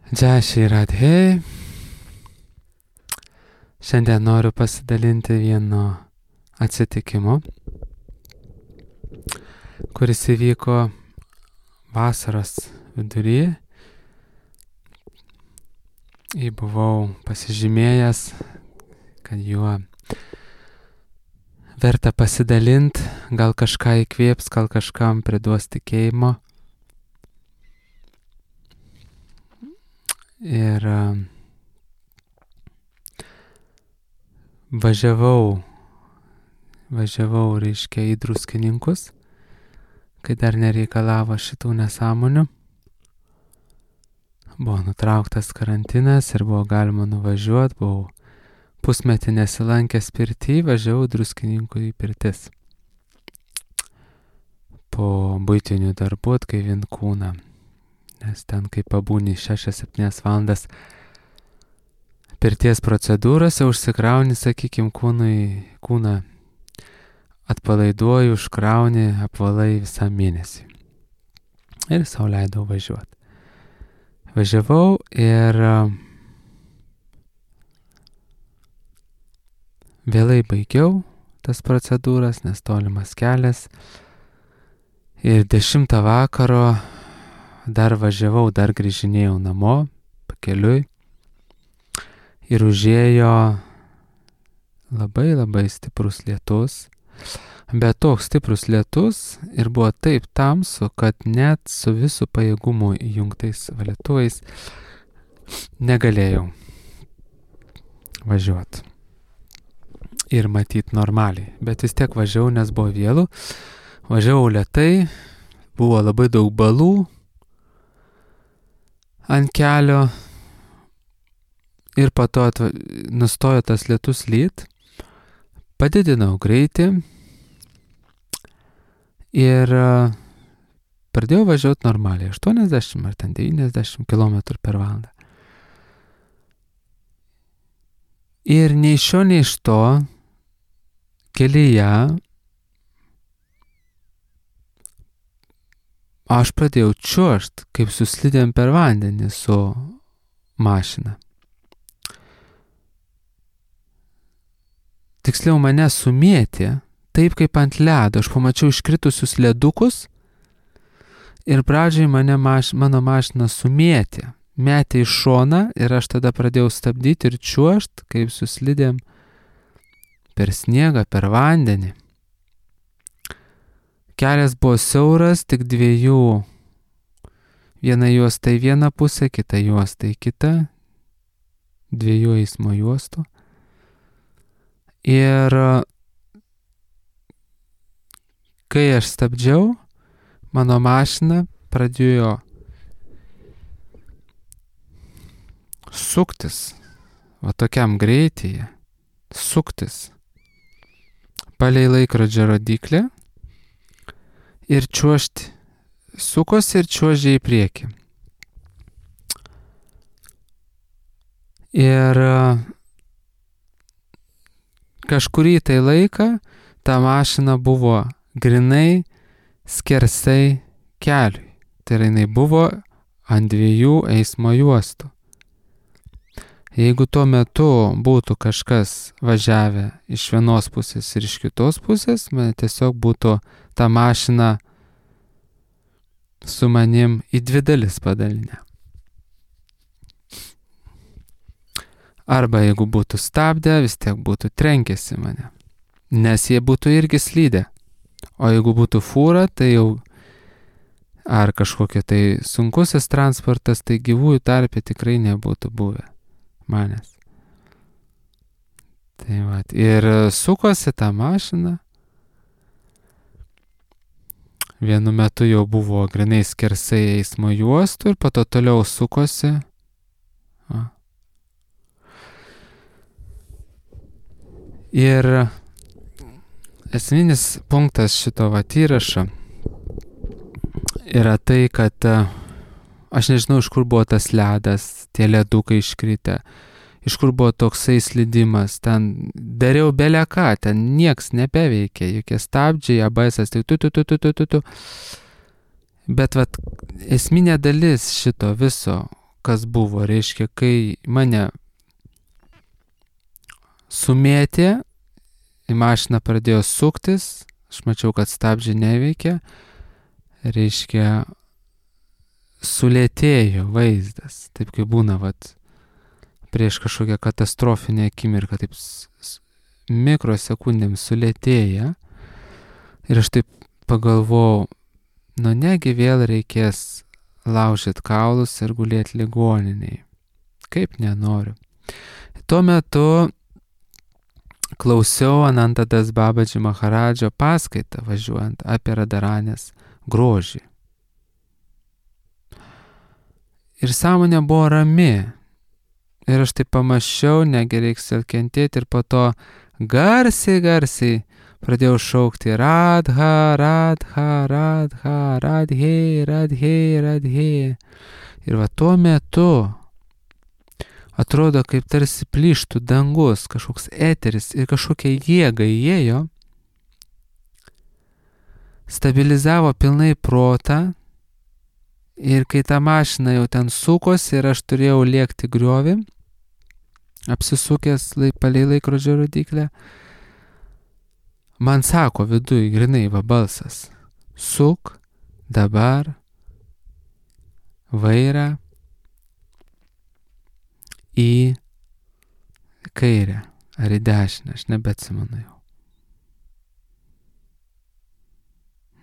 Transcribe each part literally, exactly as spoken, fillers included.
Jai Shri Radhe. Šiandien noriu pasidalinti vienu atsitikimu, kuris įvyko vasaros viduryje. Jį buvau pasižymėjęs, kad juo verta pasidalinti, gal kažką įkvėps, gal kažkam priduos tikėjimo. Ir uh, važiavau, važiavau, reiškia, į Druskininkus, kai dar nereikalavo šitų nesąmonių. Buvo nutrauktas karantinas ir buvo galima nuvažiuoti, buvau pusmetį nesilankęs pirty, važiavau Druskininkų į pirtis. Po buitinių darbų atgaivint kūną. Nes ten, kai pabūni šešias septynias valandas pirties procedūrose, užsikrauni, sakykime, kūnui, kūną atpalaiduoji, užkrauni, apvalai visą mėnesį. Ir sau leidau važiuoti. Važiavau ir vėlai baigiau tas procedūras, nes tolimas kelias. Ir dešimtą vakaro dar važiavau, dar grįžinėjau namo, pakeliui. Ir užėjo labai labai stiprus lietus. Bet toks stiprus lietus ir buvo taip tamsu, kad net su visų pajėgumu įjungtais valytuvais negalėjau važiuoti. Ir matyt normaliai. Bet vis tiek važiavau, nes buvo vėlu. Važiavau lėtai, buvo labai daug balų ant kelio. Ir po to atva... nustojo tas lietus lyt, padidinau greitį ir uh, pradėjau važiuoti normaliai, aštuoniasdešimt ar ten devyniasdešimt kilometrų per valandą. Ir nei iš šio, nei iš to kelyje aš pradėjau čiuožt, kaip su slidėm per vandenį su mašina. Tiksliau mane sumėtė, taip kaip ant ledo. Aš pamačiau iškritusius ledukus ir pradžiai mane maš, mano mašina sumėtė. Metė į šoną ir aš tada pradėjau stabdyti ir čiuožt, kaip su slidėm per sniegą, per vandenį. Kelias buvo siauras, tik dviejų. Viena juosta į vieną pusę, kita juosta į kitą. Dviejų eismo juostų. Ir kai aš stabdžiau, mano mašina pradėjo suktis, va tokiam greityje, suktis palei laikrodžio rodiklį ir čiuožti, sukosi ir čiuožė į priekį. Ir kažkurį tai laiką ta mašina buvo grinai skersai keliui. Tai yra, jinai buvo ant dviejų eismo juostų. Jeigu tuo metu būtų kažkas važiavę iš vienos pusės ir iš kitos pusės, man tiesiog būtų ta mašina su manim į dvi dalis padalinę. Arba jeigu būtų stabdę, vis tiek būtų trenkėsi mane, nes jie būtų irgi slydę. O jeigu būtų fūra, tai jau ar kažkokia tai sunkusis transportas, tai gyvųjų tarpe tikrai nebūtų buvę manęs. Tai va, ir sukosi tą mašiną. Vienu metu jau buvo grinai skersai eismo juostų ir po to toliau sukosi. Va. Ir esminis punktas šito vat įrašo yra tai, kad aš nežinau, iš kur buvo tas ledas, tie ledukai iškritę, iš kur buvo toksai slidimas, ten dariau bele ką, ten nieks nebeveikė, jokie stabdžiai, A B S-as, tai tu, tu, tu, tu, tu, tu, tu. Bet vat esminė dalis šito viso, kas buvo, reiškia, kai mane sumėtė, į mašiną pradėjo suktis, aš mačiau, kad stabdžiai neveikia, reiškia, sulėtėjo vaizdas, taip kaip būna, vat, prieš kažkokią katastrofinę akimirką, taip mikrosekundėm sulėtėja. Ir aš taip pagalvojau, nu negi vėl reikės laužyti kaulus ir gulėti ligoniniai. Kaip nenoriu. Tuo metu klausiau Anantadas Babadži Maharadžo paskaitą važiuojant apie Radharanės grožį. Ir sąmonė buvo rami. Ir aš taip pamačiau, negi reiks vėl kentėti, ir po to garsiai, garsiai pradėjau šaukti Radha, Radha, Radha, Radhe, Radhe, Radhe. Ir va tuo metu atrodo, kaip tarsi plyštų dangus, kažkoks eteris ir kažkokia jėga įėjo, stabilizavo pilnai protą. Ir kai ta mašina jau ten sukosi ir aš turėjau lėkti griovį, apsisukęs lai, palei laikrodžio rodyklę, man sako viduj grinai va balsas, suk dabar vairą į kairę ar į dešinę, aš nebeatsimenu jau.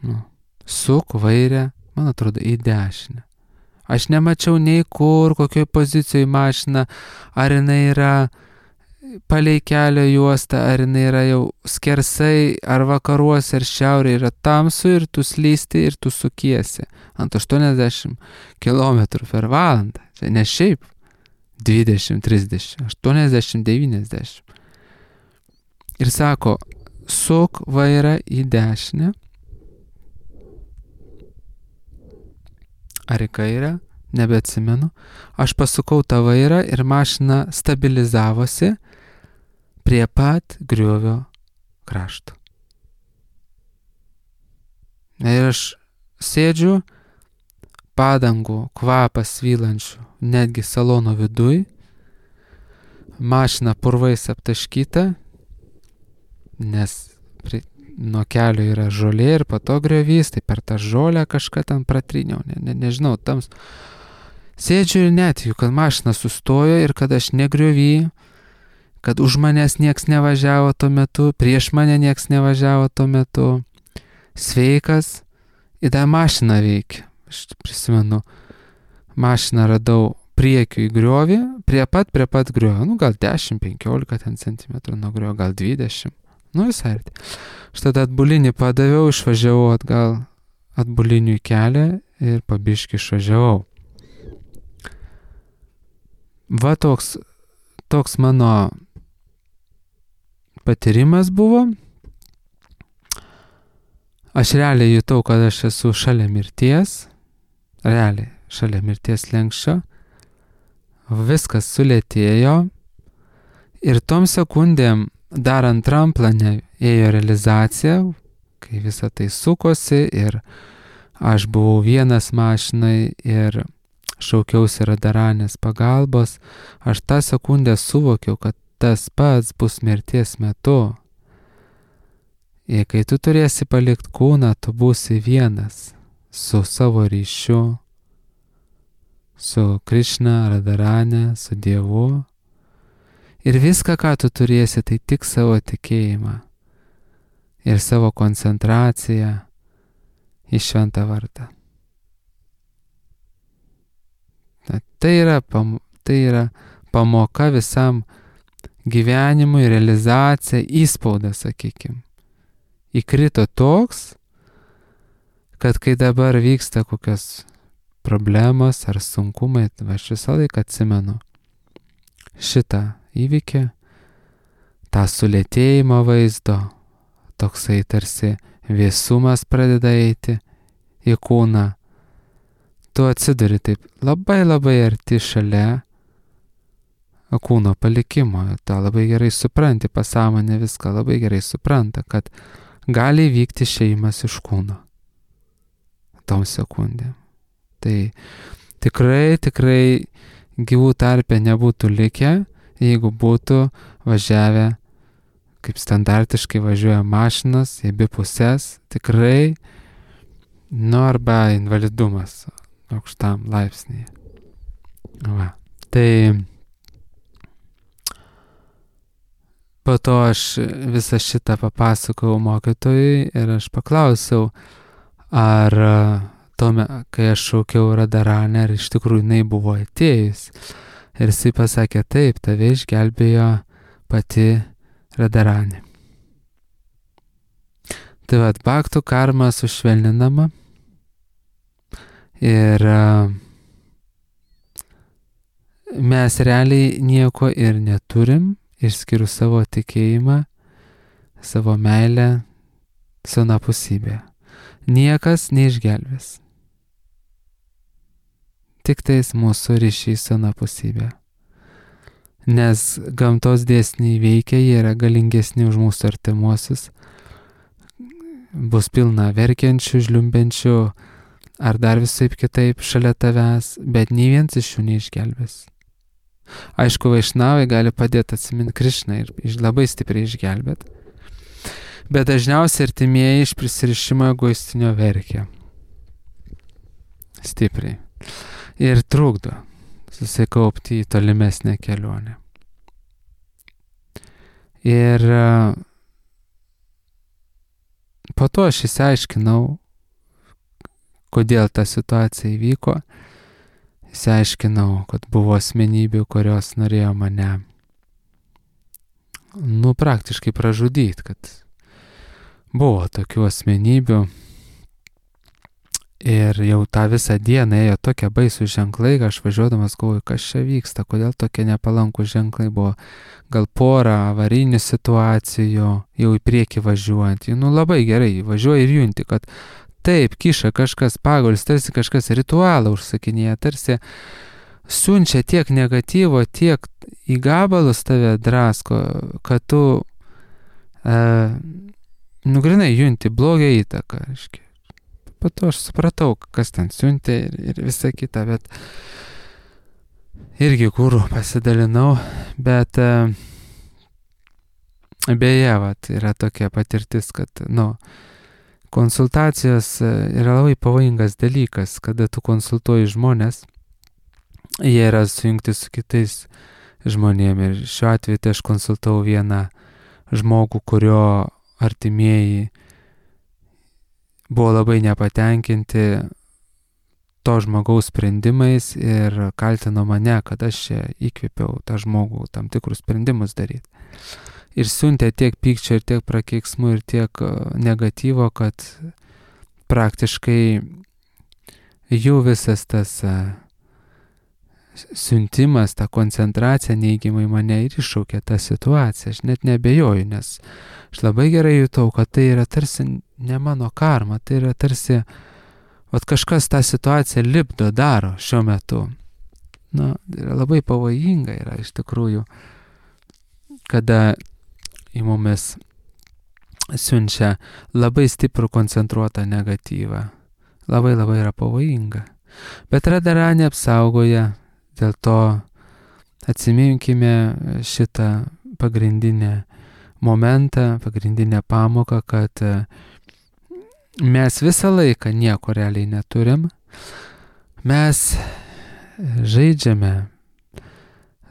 Nu, suk vairę, man atrodo, į dešinę. Aš nemačiau nei kur, kokioje pozicijoje mašina, ar jinai yra palei kelio juostą, ar jinai yra jau skersai, ar vakaruose, ar šiaurėje, yra tamsu ir tu slysti ir tu sukiesi ant aštuoniasdešimt kilometrų per valandą. Čia ne šiaip dvidešimt, trisdešimt, aštuoniasdešimt, devyniasdešimt. Ir sako, suk vairą į dešinę, ar į kairę, nebeatsimenu. Aš pasukau tą vairą ir mašina stabilizavosi prie pat griovio krašto. Ir aš sėdžiu, padangų kvapas svylančių, netgi salono viduj, mašina purvais aptaškyta, nes prie nuo kelio yra žolė ir po to griovys, tai per tą žolę kažką ten pratriniau, ne, ne, nežinau, tams. Sėdžiu ir netikiu, kad mašina sustojo ir kad aš negriovy, kad už manęs nieks nevažiavo tuo metu, prieš mane nieks nevažiavo tuo metu. Sveikas, į tą mašiną veikia. Aš prisimenu, mašiną radau priekiu į griovį, prie pat, prie pat griovio, nu gal dešimt penkiolika ten centimetrų nuo griovio, gal dvidešimt. Nu visai arti. Aš tada atbulinį padaviau, išvažiavau atgal atbulinių į kelią ir pabiškį išvažiavau. Va toks, toks mano patyrimas buvo. Aš realiai jutau, kad aš esu šalia mirties. Realiai šalia mirties slenksčio. Viskas sulėtėjo. Ir tom sekundėm dar antram plane ėjo realizacija, kai visa tai sukosi ir aš buvau vienas mašinai ir šaukiausi Radharanės pagalbos. Aš tą sekundę suvokiau, kad tas pats bus mirties metu. Ir kai tu turėsi palikti kūną, tu būsi vienas su savo ryšiu, su Krišna, Radharane, su Dievu. Ir viską, ką tu turėsi, tai tik savo tikėjimą ir savo koncentraciją į šventą vardą. Tai yra, pam, tai yra pamoka visam gyvenimui, realizacija, įspaudas, sakykime. Įkrito toks, kad kai dabar vyksta kokios problemos ar sunkumai, aš visą laiką atsimenu šitą įvykį, tą sulėtėjimo vaizdo, toksai tarsi vėsumas pradeda eiti į kūną. Tu atsiduri taip labai labai arti šalia kūno palikimo. Tu labai gerai supranti, pasąmonė viską labai gerai supranta, kad gali vykti išėjimas iš kūno tom sekundėm. Tai, tikrai, tikrai gyvų tarpe nebūtų likę, jeigu būtų važiavę, kaip standartiškai važiuoja mašinos, į abi pusės, tikrai, nu arba invalidumas aukštam laipsnyje. Va. Tai po to aš visą šitą papasakojau mokytojui ir aš paklausiau, ar tuome, kai aš šaukiau Radharanę, ar iš tikrųjų jinai buvo atėjus. Ir jisai pasakė, taip, tave išgelbėjo pati Radharanė. Tai vat, bhaktų karma sušvelninama ir mes realiai nieko ir neturim, išskyrus savo tikėjimą, savo meilę, sunapusybę. Niekas neišgelbės. Tik tais mūsų ryšiai sunapusybė. Nes gamtos dėsniai veikia, jie yra galingesni už mūsų artimuosius. Bus pilna verkiančių, žliumbenčių, ar dar visaip kitaip šalia tavęs, bet nei vienas iš jų neišgelbės. Aišku, vaišnavai gali padėti atsiminti Krišną ir labai stipriai išgelbėti. Bet dažniausiai artimieji iš prisirišimo egoistinio verkia. Stipriai. Ir trukdo susikaupti į tolimesnę kelionę. Ir po to aš išsiaiškinau, kodėl ta situacija įvyko. Išsiaiškinau, kad buvo asmenybių, kurios norėjo mane, nu, praktiškai pražudyti, kad buvo tokių asmenybių. Ir jau tą visą dieną ėjo tokie baisūs ženklai, kad aš važiuodamas galvoju, kas čia vyksta, kodėl tokie nepalankūs ženklai buvo. Gal porą avarinių situacijų, jau į priekį važiuojant. Nu, labai gerai, važiuoji ir junti, kad taip, kiša kažkas pagaulis, tarsi kažkas ritualą užsakinėja, tarsi siunčia tiek negatyvo, tiek į gabalus tave drasko, kad tu, e, nu, grinai junti blogą įtaką. Po to aš supratau, kas ten siuntė ir, ir visa kita, bet irgi guru pasidalinau, bet e, beje, vat, yra tokia patirtis, kad, nu, konsultacijos yra labai pavojingas dalykas, kada tu konsultuoji žmonės, jie yra sujungti su kitais žmonėmis. Ir šiuo atveju tai aš konsultavau vieną žmogų, kurio artimieji buvo labai nepatenkinti to žmogaus sprendimais ir kaltino mane, kad aš čia įkvėpiau tą žmogų tam tikrus sprendimus daryti. Ir siuntė tiek pykčio, ir tiek prakeiksmų, ir tiek negatyvo, kad praktiškai jų visas tas siuntimas, ta koncentracija neigiamai mane ir iššaukė tą situaciją. Aš net nebejoju, nes aš labai gerai jutau, kad tai yra tarsi ne mano karma, tai yra tarsi, vat kažkas tą situaciją lipdo, daro šiuo metu. Na, yra labai pavojinga yra iš tikrųjų, kada į mumis siunčia labai stiprų koncentruotą negatyvą. Labai labai yra pavojinga. Bet Radharanė apsaugoja, dėl to atsiminkime šitą pagrindinę momentą, pagrindinę pamoką, kad mes visą laiką nieko realiai neturim. Mes žaidžiame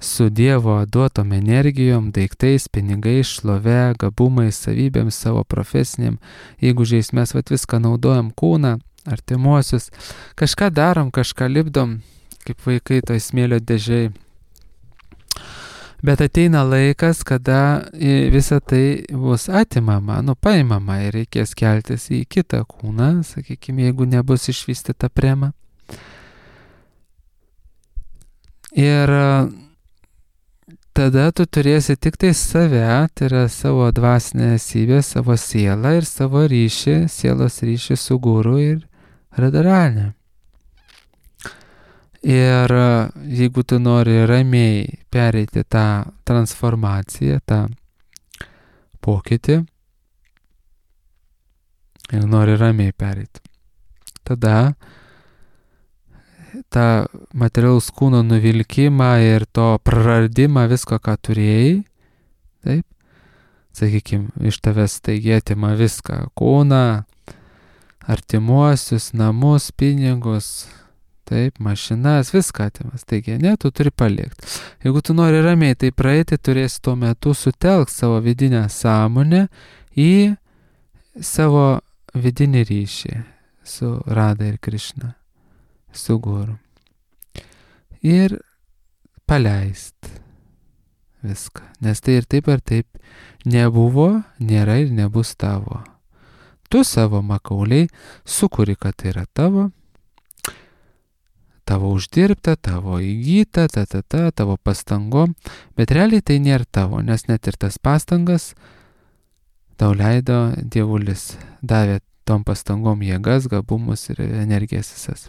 su Dievo duotom energijom, daiktais, pinigais, šlove, gabumais, savybėms, savo profesiniam. Jeigu žiais mes vat viską naudojam, kūną, artimuosius, kažką darom, kažką lipdom, kaip vaikai toj smėlio dėžiai. Bet ateina laikas, kada visa tai bus atimama, nu paimama ir reikės keltis į kitą kūną, sakykime, jeigu nebus išvystyta prema. Ir tada tu turėsi tik tai save, tai yra savo dvasinę esybę, savo sielą ir savo ryšį, sielos ryšį su guru ir Radharanė. Ir jeigu tu nori ramiai pereiti tą transformaciją, tą pokytį, ir nori ramiai pereiti, tada tą materialaus kūno nuvilkimą ir to praradimą visko, ką turėjai, taip, sakykime, iš tavęs taigi atima viską, kūną, artimuosius, namus, pinigus, taip, mašinas, viską atimas. Taigi, ne, tu turi palikti. Jeigu tu nori ramiai tai praeiti, turėsi tuo metu sutelk savo vidinę sąmonę į savo vidinį ryšį su Rada ir Krišna, su Guru. Ir paleist viską. Nes tai ir taip ar taip nebuvo, nėra ir nebus tavo. Tu savo makauliai sukuri, kad tai yra tavo, tavo uždirbta, tavo įgyta, ta, ta, ta, tavo pastangom, bet realiai tai nėra tavo, nes net ir tas pastangas tau leido Dievulis, davė tom pastangom jėgas, gabumus ir energijas visas.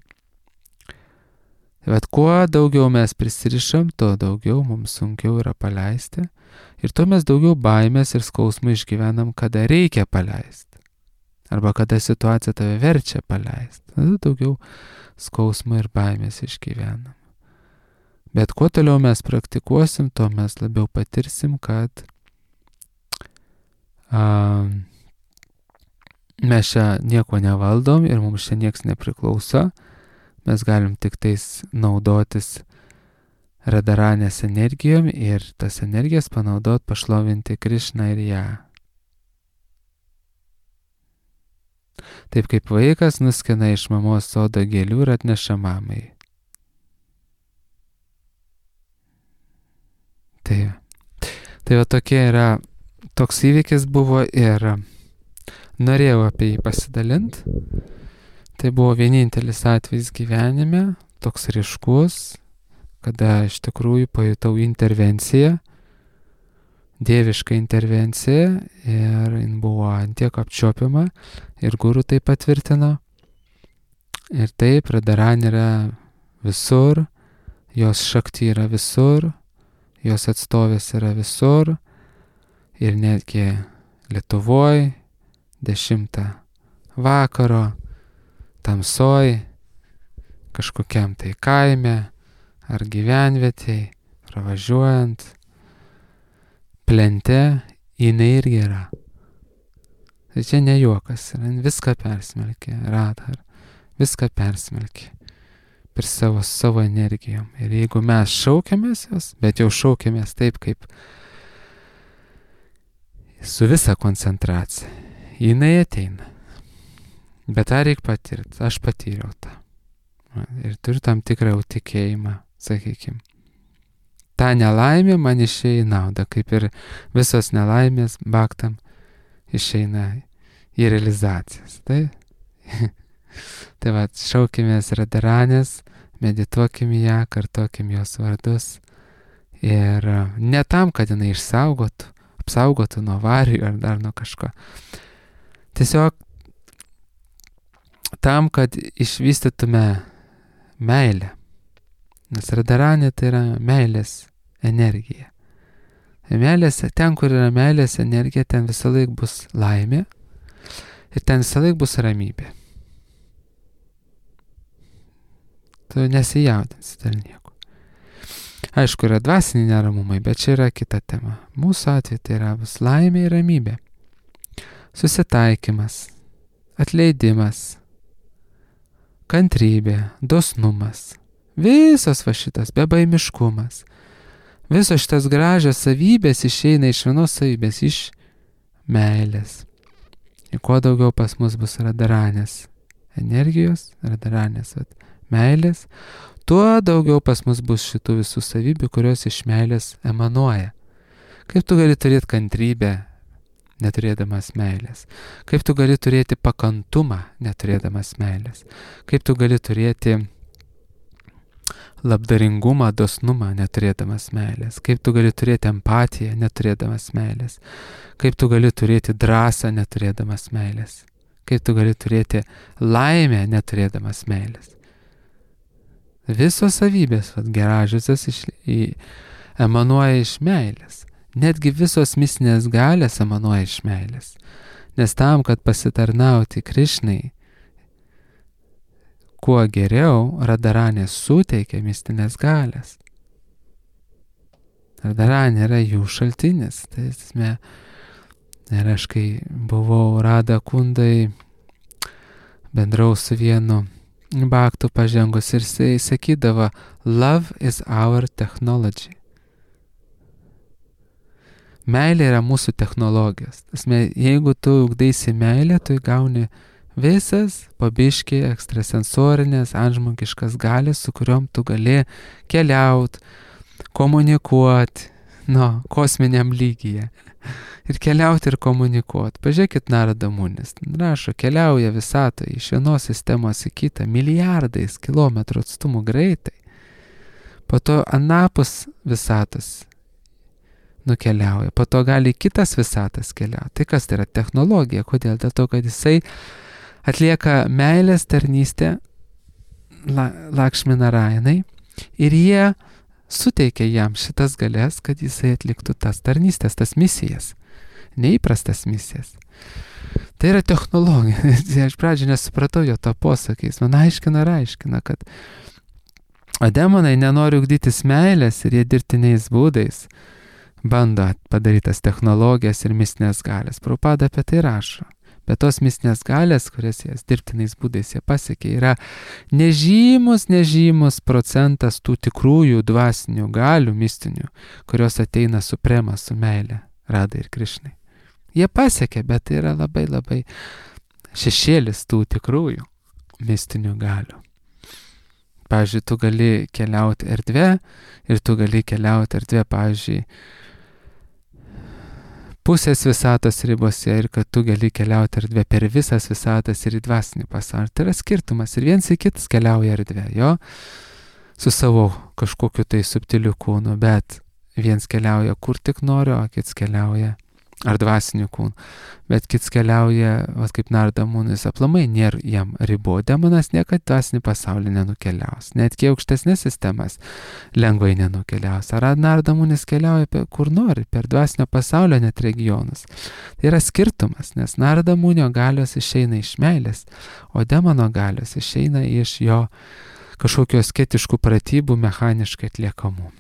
Bet kuo daugiau mes prisirišam, tuo daugiau mums sunkiau yra paleisti ir tuo mes daugiau baimės ir skausmų išgyvenam, kada reikia paleisti. Arba kada situacija tave verčia paleisti. Tada daugiau skausmų ir baimės išgyvenam. Bet kuo toliau mes praktikuosim, tuo mes labiau patirsim, kad a, mes čia nieko nevaldom ir mums čia nieks nepriklauso. Mes galim tik tais naudotis Radaranės energijom ir tas energijas panaudot pašlovinti Krišną ir ją. Taip kaip vaikas nuskina iš mamos sodo gėlių ir atneša mamai. Tai, tai va tokie yra, toks įvykis buvo ir norėjau apie jį pasidalinti. Tai buvo vienintelis atvejis gyvenime, toks ryškus, kada iš tikrųjų pajutau intervenciją, dievišką intervenciją ir jin buvo antiek apčiuopiama ir Guru tai patvirtino. Ir taip, Radharani yra visur, jos šakti yra visur, jos atstovės yra visur ir netgi Lietuvoj dešimtą vakaro, tamsoj, kažkokiam tai kaime ar gyvenvietėj, pravažiuojant, plente, jinai irgi yra. Tai čia ne juokas, viską persmelkė, Radha, viską persmelkė per savo, savo energijom. Ir jeigu mes šaukiamės jos, bet jau šaukiamės taip, kaip su visa koncentracija, jinai ateina. Bet tą reikia patirti, aš patyriau tą. Ir turiu tam tikrą jau tikėjimą, sakykime. Ta nelaimė man išeina į naudą, kaip ir visos nelaimės baktam išeina į realizacijas. Tai, tai va, šaukimės Radharanės, medituokim ją, kartokim jos vardus. Ir ne tam, kad jinai išsaugotų, apsaugotų nuo avarijų ar dar nuo kažko. Tiesiog tam, kad išvystytume meilę. Nes Radharani tai yra meilės energija. Meilės, ten, kur yra meilės energija, ten visą laik bus laimė ir ten visą laik bus ramybė. Tu nesijaudinsi dėl nieko. Aišku, yra dvasiniai neramumai, bet čia yra kita tema. Mūsų atveju tai yra bus laimė ir ramybė. Susitaikymas, atleidimas, kantrybė, dosnumas. Visas va šitas, bebaimiškumas. Visos šitas gražios savybės išeina iš vienos savybės, iš meilės. Ir kuo daugiau pas mus bus Radharanės energijos, Radharanės meilės, tuo daugiau pas mus bus šitų visų savybių, kurios iš meilės emanuoja. Kaip tu gali turėti kantrybę, neturėdamas meilės? Kaip tu gali turėti pakantumą, neturėdamas meilės? Kaip tu gali turėti labdaringumą, dosnumą, neturėdamas meilės? Kaip tu gali turėti empatiją, neturėdamas meilės? Kaip tu gali turėti drąsą, neturėdamas meilės? Kaip tu gali turėti laimę, neturėdamas meilės? Visos savybės, vat, geražiosios iš, į, emanuoja iš meilės. Netgi visos mistinės galės emanuoja iš meilės. Nes tam, kad pasitarnauti Krišnai, kuo geriau, Radaranė suteikia mistinės galės. Radaranė yra jų šaltinis. Tai esmė, ir aš kai buvau Rada Kundai, bendrau su vienu baktu pažengus ir jisai sakydavo, love is our technology. Meilė yra mūsų technologijos. Tasme, jeigu tu ugdaisi meilę, tu gauni visas pabiški ekstrasensorinės, antžmogiškas galės, su kuriuom tu gali keliauti, komunikuoti, nu, kosminiam lygyje. Ir keliauti ir komunikuoti. Pažiūrėkit Narada Munis. Rašo, keliauja visatoje iš vienos sistemos į kitą milijardais kilometrų atstumų greitai. Po to anapus visatos nukeliauja. Po to gali kitas visatas keliauti. Tai kas tai yra technologija? Kodėl? Dėl to, kad jisai atlieka meilės tarnystę la, Lakšmi Narayanai ir jie suteikia jam šitas galės, kad jisai atliktų tas tarnystės, tas misijas. Neįprastas misijas. Tai yra technologija. Aš pradžioje nesupratau jo to posakiais. Man aiškina ir aiškina, kad o demonai nenori ugdytis meilės ir jie dirbtiniais būdais bando padaryti tas technologijas ir mistinės galės. Prabhupada apie tai rašo. Bet tos mistinės galės, kurias jas dirbtiniais būdais jie pasiekė, yra nežymus, nežymus procentas tų tikrųjų dvasinių galių mistinių, kurios ateina suprema su meilė Radai ir Krišnai. Jie pasiekė, bet tai yra labai labai šešėlis tų tikrųjų mistinių galių. Pavyzdžiui, tu gali keliauti erdvę ir tu gali keliauti erdvę, pavyzdžiui, pusės visatos ribose ir kad tu gali keliauti erdvę per visas visatas ir į dvasinį pasaulį. Tai yra skirtumas ir viens į kitas keliauja erdvę, jo, su savo kažkokiu tai subtiliu kūnu, bet viens keliauja kur tik nori, o kits keliauja ar dvasiniu kūnu, bet kits keliauja, vat kaip Narada Munis, aplamai nėra jam ribų. Demonas niekad dvasinį pasaulį nenukeliaus, net kiek aukštesnės sistemas lengvai nenukeliaus. Ar Narada Munis keliauja per, kur nori, per dvasinio pasaulio net regionus. Tai yra skirtumas, nes Narada Munio galios išeina iš meilės, o demono galios išeina iš jo kažkokio asketiškų pratybų mechaniškai atliekamų.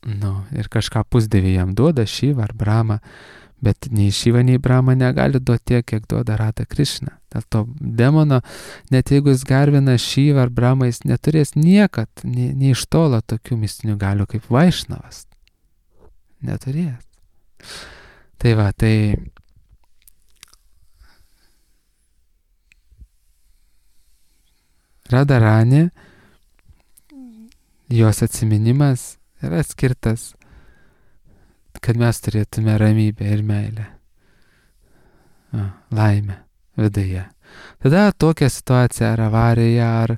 Nu, ir kažką pusdėvį jam duoda Šiva ar Brahma, bet nei Šiva, nei Brahma negali duoti tiek, kiek duoda Rada Krišna. Dėl to demono, net jeigu jis garbina Šiva ar Brahma, jis neturės niekad, nei, nei iš tolo tokių mistinių galių kaip Vaišnavas. Neturės. Tai va, tai Radaranė, jos atsiminimas yra skirtas, kad mes turėtume ramybę ir meilę, o, laimę viduje. Tada tokia situacija ar avarija, ar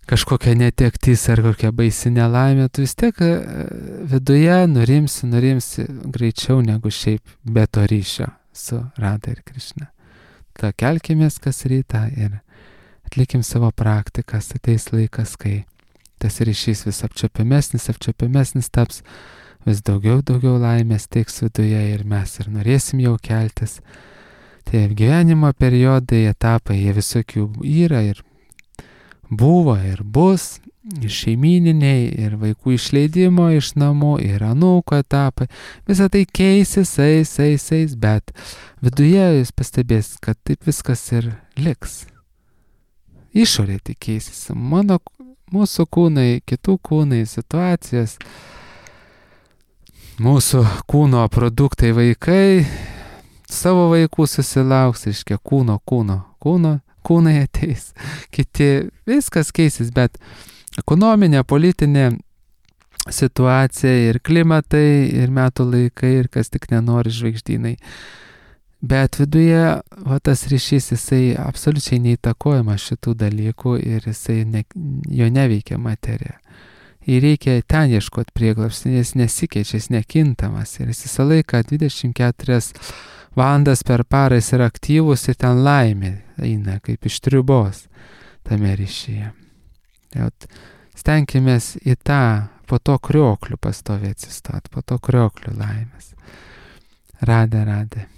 kažkokia netektis, ar kokia baisi nelaimė, tu vis tiek viduje nurimsi, nurimsi greičiau negu šiaip be to ryšio su Rada ir Krišna. Ta kelkimės kas rytą ir atlikim savo praktikas, ateis laikas, kai tas ryšys vis apčiuopiamesnis, apčiuopiamesnis taps, vis daugiau, daugiau laimės teiks viduje ir mes ir norėsim jau keltis. Tai gyvenimo periodai, etapai, jie visokių yra ir buvo ir bus, ir šeimininiai, ir vaikų išleidimo iš namų, ir anūko etapai. Visą tai keisis, eis, eis, eis, bet viduje jūs pastebės, kad taip viskas ir liks. Išorė tik keisis. Mano Mūsų kūnai, kitų kūnai, situacijas, mūsų kūno produktai vaikai, savo vaikų susilauks, iškia kūno, kūno, kūno, kūnai ateis, kiti, viskas keisis, bet ekonominė, politinė situacija ir klimatai, ir metų laikai, ir kas tik nenori žvaigždynai. Bet viduje va, tas ryšys, jisai absoliučiai neįtakojama šitų dalykų ir jisai ne, jo neveikia materija. Ir reikia ten ieškoti prieglobstį, jis nesikeičia, jis nekintamas ir jis visą laiką dvidešimt keturias valandas per parą jis yra aktyvus ir ten laimė eina kaip iš triubos tame ryšyje. Stenkimės į tą po to krioklių pastovi atsistot, po to krioklių laimės. Radė, radė.